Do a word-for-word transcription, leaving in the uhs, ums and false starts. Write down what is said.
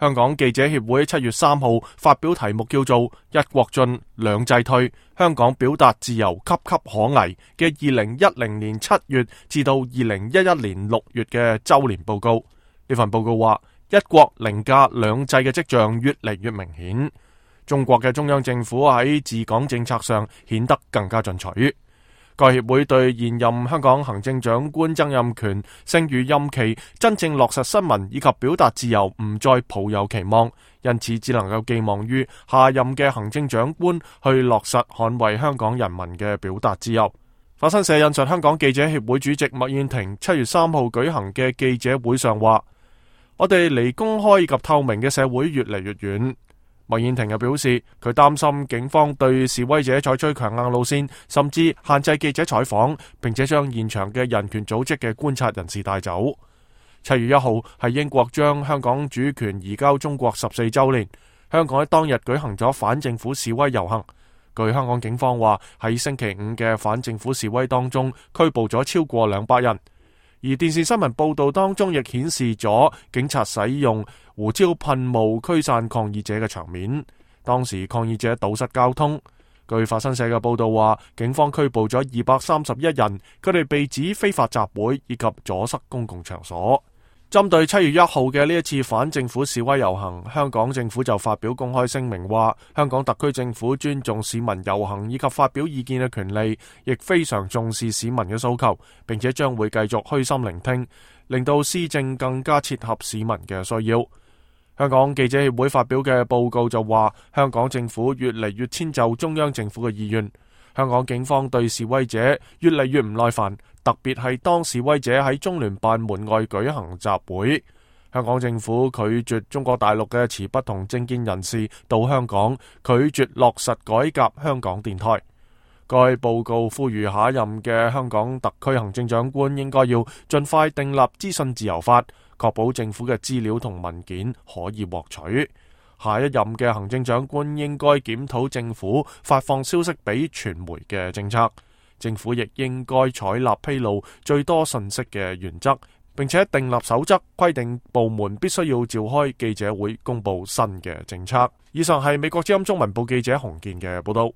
香港記者協會七月三號發表題目叫做《一國進，兩制退，香港表達自由岌岌可危》嘅二零一零年七月至到二零一一年六月嘅周年報告。呢份報告話，一國凌駕兩制嘅跡象越嚟越明顯，中國嘅中央政府喺治港政策上顯得更加進取。該協會對現任香港行政長官曾蔭權剩餘任期真正落實新聞以及表達自由唔再抱有期望，因此只能夠寄望於下任嘅行政長官去落實捍衛香港人民嘅表達自由。法新社引述香港記者協會主席麥燕庭七月三號舉行嘅記者會上話：我哋離公開及透明嘅社會越嚟越遠。麥燕庭又表示，佢擔心警方對示威者採取強硬路線，甚至限制記者採訪，並且將現場嘅人權組織嘅觀察人士帶走。七月一號係英國將香港主權移交中國十四周年，香港喺當日舉行咗反政府示威遊行。據香港警方話，喺星期五嘅反政府示威當中，拘捕咗超過兩百人。而電視新聞報道當中亦顯示咗警察使用胡椒噴霧驅散抗議者嘅場面，當時抗議者堵塞交通。據法新社嘅報道話，警方拘捕咗二百三十一人，佢哋被指非法集會以及阻塞公共場所。針對七月一號嘅呢一次反政府示威遊行，香港政府就發表公開聲明話，香港特區政府尊重市民遊行以及發表意見嘅權利，亦非常重視市民嘅訴求，並且將會繼續虛心聆聽，令到施政更加切合市民嘅需要。香港記者協會發表嘅報告就話，香港政府越嚟越遷就中央政府嘅意願，香港警方對示威者越嚟越唔耐煩，特別係當示威者喺中聯辦門外舉行集會，香港政府拒絕中國大陸嘅持不同政見人士到香港，拒絕落實改革香港電台。該報告呼籲下一任嘅香港特區行政長官應該要盡快訂立資訊自由法，確保政府嘅資料同文件可以獲取。下一任嘅行政長官應該檢討政府發放消息俾傳媒嘅政策，政府亦應該採納披露最多信息嘅原則，並且訂立守則，規定部門必須要召開記者會公布新嘅政策。以上係美國之音中文部記者洪健嘅報道。